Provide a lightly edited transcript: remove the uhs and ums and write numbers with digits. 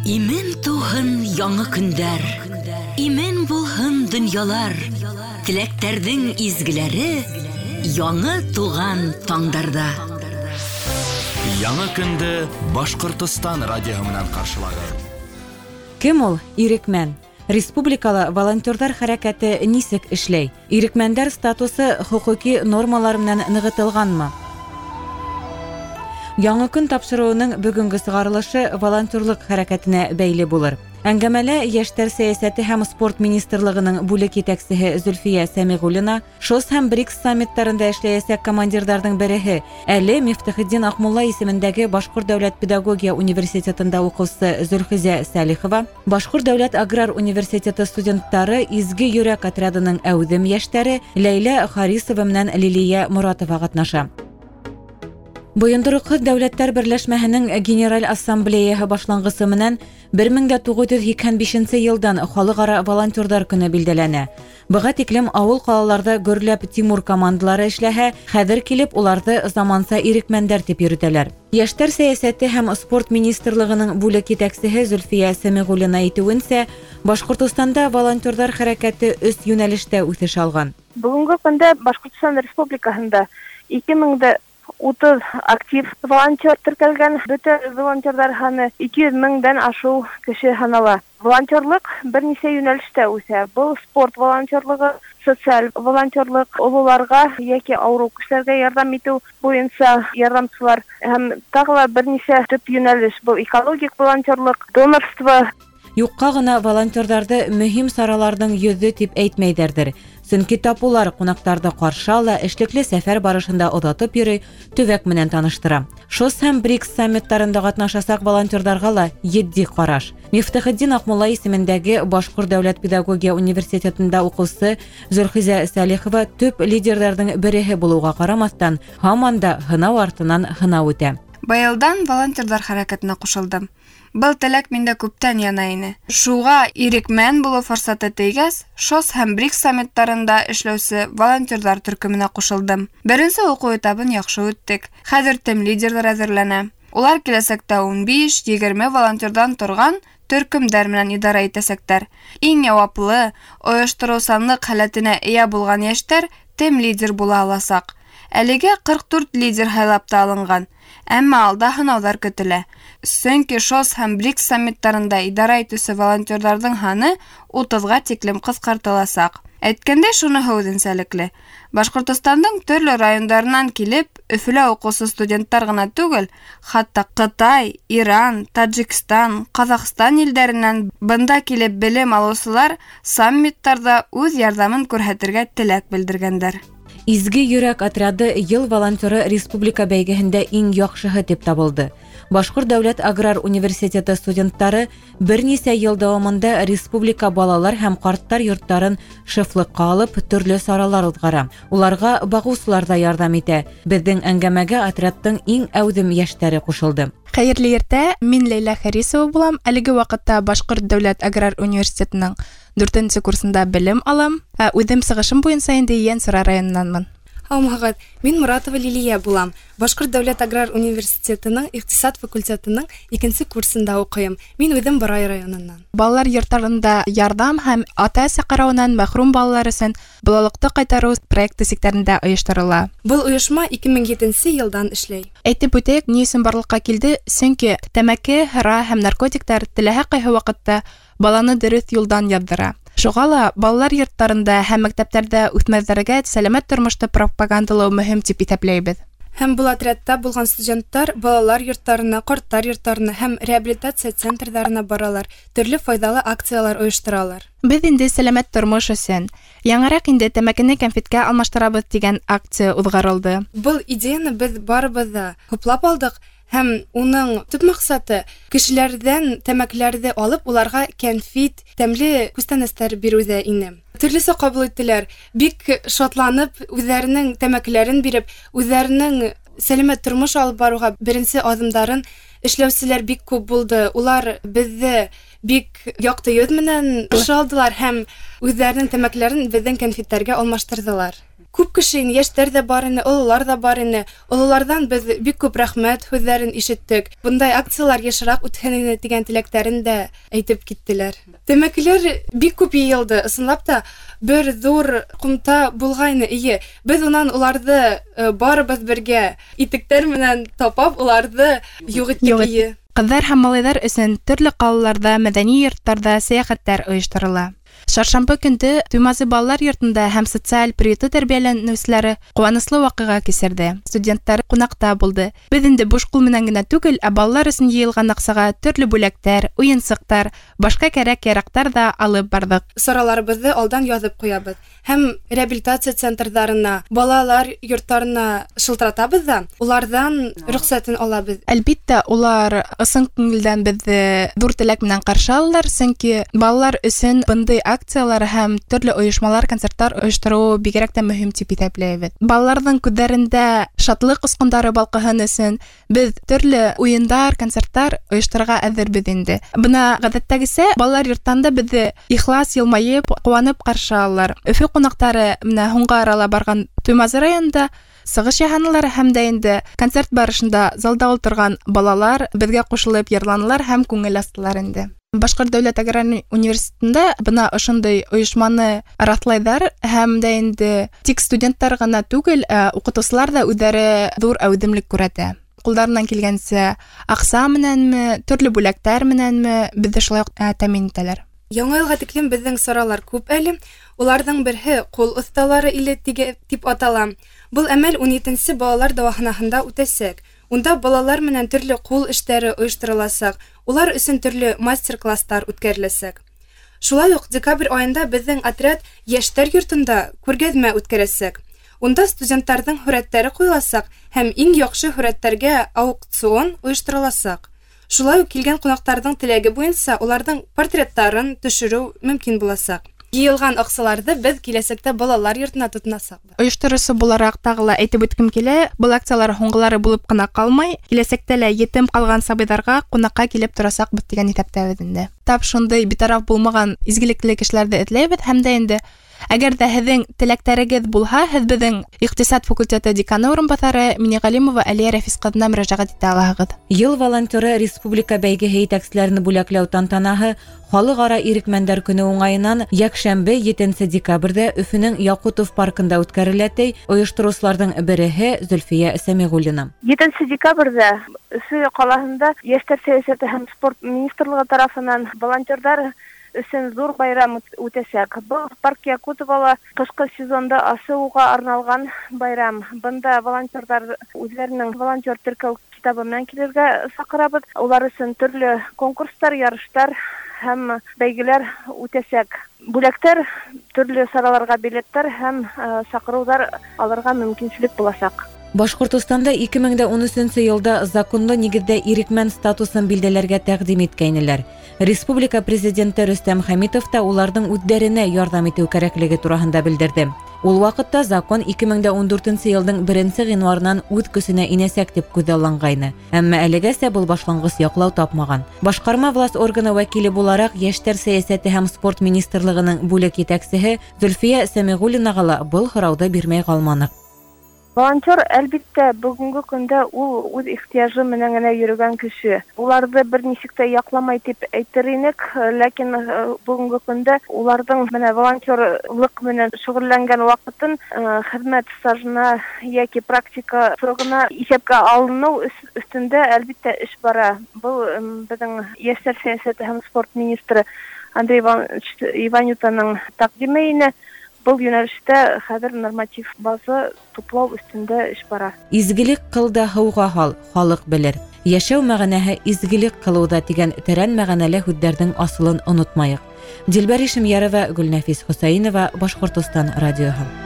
Имен тыуһын яңы көндәр, имен булһын донъялар, теләктәрҙең изгеләре яңы туған таңдарҙа. Яңы көндө Башҡортостан радиоһы менән ҡаршылағыҙ. Кем ул ирекмән? Республикала волонтерҙар хәрәкәте нисек эшләй? Ирекмәндәр статусы хоҡуҡи нормалар менән нығытылғанмы? Яңы көн тапшырыуының бөгөнгө сығарылышы волонтерлыҡ хәрәкәтенә бәйле булыр. Әңгәмәлә Йәштәр сәйәсәте һәм спорт министрлығының бүлек етәксеһе Зөлфиә Сәмиғуллина, ШОС һәм БРИКС саммиттарында эшләйәсәк командирҙарҙың береһе, әле Мифтахетдин Аҡмулла исемендәге Башҡорт дәүләт педагогия университетында уҡыусы Зөлхизә Сәлихова, Башҡорт дәүләт аграр университеты студенттары Изге йөрәк отрядының әүҙем йәштәре Ләйлә Харисова менән Лилиә Моратова ҡатнаша. Бойондороҡһоҙ дәүләттәр берләшмәһенең Генераль Ассамблеяһы башланғысы менән 1985 йылдан Халыҡ-ара волонтерҙар көнө билдәләнә. Быға тиклем ауыл ҡалаларҙа гөрләп Тимур командалары эшләһә, хәҙер килеп уларҙы заманса ирекмәндәр тип йөрөтәләр. Йәштәр сәйәсәте һәм спорт министрлығының бүлек етәксеһе Зөлфиә Сәмиғуллина әйтеүенсә, Башҡортостанда волонтерҙар хәрәкәте өс йүнәлештә үҫеш алған. Бөгөнгө көндә Башҡортостан Республикаһында 2030 актив волонтер теркәлгән, бөтә волонтерҙар һаны 200 меңдән ашыу кеше һанала. Волонтерлыҡ бер нисә йүнәлештә үҫә. Был спорт волонтерлығы, социаль волонтерлыҡ, ололарға йәки ауырыу кешеләргә ярҙам итеү буйынса ярҙамсылар һәм тағы ла бер нисә төп йүнәлеш. Был экологик волонтерлыҡ, донорство. Юҡҡа ғына волонтерҙарҙы мөһим сараларҙың йөҙө тип әйтмәйҙәрҙер. Сөнки тап улар ҡунаҡтарҙы ҡаршы ала, эшлекле сәфәр барышында оҙатып йөрөй, төбәк менән таныштыра. ШОС һәм БРИКС саммиттарында ҡатнашасаҡ волонтерҙарға ла етди ҡараш. Мифтахетдин Аҡмулла исемендәге Башҡорт дәүләт педагогия университетында уҡыусы Зөлхизә Сәлихова төп лидерҙарҙың береһе булыуға ҡарамаҫтан, һаман да һынау артынан һынау үтә. Быйылдан волонтерҙар хәрәкәтенә ҡушылдым. Был теләк миндә күптән яна ине. Шуға ирекмән булыу форсаты тейгәс, ШОС һәм БРИКС саммиттарында эшләүсе волонтерҙар төркөмөнә ҡушылдым. Беренсе уҡыу этабын яҡшы үттек. Хәҙер тем лидерҙар әҙерләнә. Улар киләсәктә 15-20 волонтерҙан торған төркөмдәр менән идара итәсәктәр. Иң яуаплы, ойоштороусанлыҡ һәләтенә эйә булған йәштәр тем лидер була аласаҡ. Әлегә 44 лидер һайлап та алынған. Әммә алда һынауҙар көтөлә. Сөнки ШОС һәм БРИКС саммиттарында идара итеүсе волонтерҙарҙың һаны 30-ға тиклем ҡыҫҡартыласаҡ. Әйткәндәй, шуныһы үҙенсәлекле. Башҡортостандың төрлө райондарынан килеп, Өфөлә уҡыусы студенттар ғына түгел, хатта Ҡытай, Иран, Таджикстан, Ҡаҙағстан илдәренән бында килеп белем алыусылар саммиттарҙа үҙ ярҙамын күрһәтергә теләк белдергәндәр. Изге йөрәк отряды йыл волонтеры республика бәйгеһендә иң яҡшыһы тип табылды. Башҡорт дәүләт аграр университеты студенттары бер нисә йыл дауамында республика балалар һәм ҡарттар йорттарын шефлыҡҡа алып, төрлө саралар уҙғара. Уларға бағыусылар ҙа ярҙам итә. Беҙҙең әңгәмәгә отрядтың иң әүҙем йәштәре ҡушылды. Хәйерле иртә, мин Ләйлә Харисова булам. Әлеге ваҡытта Башҡорт дәүләт аграр университетының 4-нсе курсында белем алам. Үҙем сығышым буйынса инде Ейәнсура районынанмын. Һаумыһығыҙ, мин Моратова Лилиә булам. Башҡорт дәүләт аграр университетының иҡтисад факультетының 2-нсе курсында уҡыйым. Мин үҙем Борай районынан. Балалар йорттарында ярҙам һәм ата-әсә ҡарауынан мәхрүм балалар өсөн балалыҡты ҡайтарыу проекты сиктәрендә ойошторола. Был ойошма 2007 йылдан эшләй. Әйтеп үтәйек, ни өсөн барлыҡҡа килде? Сөнки тәмәке, һыра һәм наркотиктар теләһә ҡайһы ваҡытта баланы дөрөҫ юлдан яҙҙыра. Шуға ла балалар йорттарында һәм мәктәптәрҙә үҫмерҙәргә сәләмәт тормошто пропагандалау мөһим тип иҫәпләйбеҙ. Һәм был отрядта булған студенттар балалар йорттарына, ҡарттар йорттарына һәм реабилитация центрҙарына баралар, төрлө файҙалы акциялар ойошторалар. Беҙ инде сәләмәт тормош өсөн яңыраҡ инде тәмәкене кәнфиткә алмаштырабыҙ тигән акция уҙғарылды. Был идеяны беҙ барыбыҙ ҙа хуплап алдыҡ. Һәм уның төп маҡсаты кешеләрҙән тәмәкеләрҙе алып, уларға кәнфит, тәмле күстәнәстәр биреүҙә ине. Төрлөсә ҡабул иттеләр. Бик шатланып, үҙҙәренең тәмәкеләрен биреп, үҙҙәренең сәләмәт тормош алып барыуға беренсе аҙымдарын эшләүселәр бик күп булды. Улар беҙҙе бик яҡты йөҙ менән ҡаршы алдылар һәм үҙҙәренең тәмәкеләрен беҙҙең кәнфиттәргә алмаштырҙылар. Күп кеше ине, йәштәр ҙә бар ине, ололар ҙа бар ине. Ололарҙан беҙ бик күп рәхмәт һүҙҙәрен ишеттек. Бындай акциялар йышыраҡ үтһен ине тигән теләктәрен дә әйтеп киттеләр. Тәмәкеләр бик күп йыйылды. Ысынлап та бер ҙур ҡумта булғайны, эйе. Беҙ унан уларҙы барыбыҙ бергә итектәр менән тапап уларҙы юҡ иттек, эйе. Ҡыҙҙар һәм малайҙар өсөн төрлө ҡалаларҙа, мәҙәни йорттарҙа сәйәхәттәр ойошторола. Шаршамбы көндө Туймазы балалар йортонда һәм социаль приюты тәрбиәләнеүселәре ҡыуаныслы ваҡиға кисерҙе. Студенттар ҡунаҡта булды. Беҙ инде буш ҡул менән генә түгел, ә балалар өсөн йыйылған аҡсаға төрлө бүләктәр, уйынсыҡтар, башҡа кәрәк-яраҡтар ҙа алып барҙыҡ. Сараларыбыҙҙы алдан яҙып ҡуябыҙ һәм реабилитация центрҙарына, балалар йорттарына шылтыратабыҙ ҙа, уларҙан рөхсәтен алабыҙ. Әлбиттә, улар ысын күңелдән беҙҙе ҙур теләк менән ҡаршы алалар, сөнки балалар өсөн бындай акциялар һәм төрлө ойошмалар, концерттар ойоштороу бигерәк тә мөһим тип иҫәпләйбеҙ. Балаларҙың күҙҙәрендә шатлыҡ осҡондары балҡыһын өсөн беҙ төрлө уйындар, концерттар ойошторорға әҙербеҙ инде. Бына ғәҙәттәгесә балалар йорттан да беҙҙе ихлас йылмайып, ҡыуанып ҡаршы алалар. Өфө ҡунаҡтары менә һуңғы арала барған Туймазы районында сығыш яһанылар һәм дә инде концерт барышында залда ултырған балалар беҙгә ҡушылып йырланылар һәм күңел астылар инде. Башҡорт дәүләт аграр университетында бына ошондай ойошманы раҫлайҙар һәм дә инде тик студенттар ғына түгел, ә уҡытыусылар ҙа үҙҙәре ҙур әүҙемлек күрһәтә. Ҡулдарынан килгәнсә аҡса менәнме, төрлө бүләктәр менәнме беҙҙе шулай уҡ тәьмин итәләр. Яңы йылға тиклем беҙҙең саралар күп әле. Уларҙың береһе ҡул оҫталары иле тип атала. Был әмәл 17-нсе балалар дауаханаһында үтәсәк. Унда балалар менән төрлө ҡул эштәре ойоштороласаҡ, улар өсөн төрлө мастер-класстар үткәреләсәк. Шулай уҡ декабрь айында беҙҙең отряд йәштәр йортонда күргәҙмә үткәрәсәк. Унда студенттарҙың һүрәттәре ҡуйыласаҡ һәм иң яҡшы һүрәттәргә аукцион ойоштороласаҡ. Шулай уҡ килгән ҡунаҡтарҙың теләге буйынса уларҙың портреттарын төшөрөү мөмкин буласаҡ. Йыйылған аҡсаларҙы беҙ киләсәктә балалар йортона тотонасаҡбыҙ. Ойоштороусы булараҡ тағы ла әйтеп үткем килә, был акциялар һуңғылары булып ҡына ҡалмай, киләсәктә лә етем ҡалған сабыйҙарға ҡунаҡҡа килеп торасаҡбыҙ тигән иҫәптәбеҙ инде. Тап шундай битараф булмаған изгелекле кешеләрҙе эҙләйбеҙ һәм дә инде әгәр ҙә һеҙҙең теләктәрегеҙ булһа, һеҙ беҙҙең иҡтисад факультеты деканы урынбаҫары Миниғәлимова Әлиә Рәфис ҡыҙына мөрәжәғәт итә алаһығыҙ. Йыл волонтеры республика бәйгеһе етәкселәрен бүләкләү тантанаһы Халыҡ-ара ирекмәндәр көнө уңайынан йәкшәмбе 7 декабрҙә Өфөнөң Яҡутов паркында үткәрелә, ти ойоштороусыларҙың береһе Зөлфиә Сәмиғуллина. 7 декабрҙә Өфө ҡалаһында Йәштәр сәйәсәте һәм спорт министрлығы тарафынан волонтерҙар өсөн ҙур байрам үтәсәк. Был парк Якутовала ҡышҡы сезонда асыуға арналған байрам. Бында волонтерҙар үҙҙәренең волонтер теркәү китабы менән килергә саҡырабыҙ. Улар өсөн төрлө конкурстар, ярыштар һәм бәйгеләр үтәсәк. Бүләктәр, төрлө сараларға билеттар һәм саҡырыуҙар алырға мөмкинселек буласаҡ. Башҡортостанда 2013 йылда законлы нигеҙҙә ирекмән статусын билдәләргә тәҡдим иткәйнеләр. Республика президенты Рөстәм Хәмитов та уларҙың үҙҙәренә ярҙам итеү кәрәклеге тураһында белдерҙе. Ул ваҡытта закон 2014 йылдың 1 ғинуарынан үҙ көсөнә инәсәк тип күҙалланғайны. Әммә әлегәсә был башланғыс яҡлау тапмаған. Башҡарма власть органы вәкиле булараҡ Йәштәр сәйәсәте һәм спорт министрлығының бүлек етәксеһе Зөлфиә Сәмиғуллинаға ла был һорауҙы бирмәй ҡалманыҡ. Волонтер, әлбиттә, бөгөнгө көндә ул үҙ ихтыяжы менән генә йөрөгән кеше. Уларҙы бер нисек тә яҡламай тип әйтер инек, ләкин бөгөнгө көндә уларҙың менә волонтерлыҡ менән шөғөлләнгән ваҡытын хеҙмәт стажына йәки практика срогына иҫәпкә алыныу өҫтөндә әлбиттә эш бара. Был беҙҙең йәштәр сәйәсәте һәм спорт министры Андрей Иванович Иванютаның тәҡдиме ине. Был йүнәлештә хәҙер норматив база туплау өҫтөндә эш бара. Изгелек ҡыл да һыуға һал, халыҡ белер. Йәшәү мәғәнәһе изгелек ҡылыуҙа тигән тәрән мәғәнәле һүҙҙәрҙең асылын онотмайыҡ. Дилбәр Ишемйәрова, Гөлнәфис Хөсәйенова, Башҡортостан радиоһы.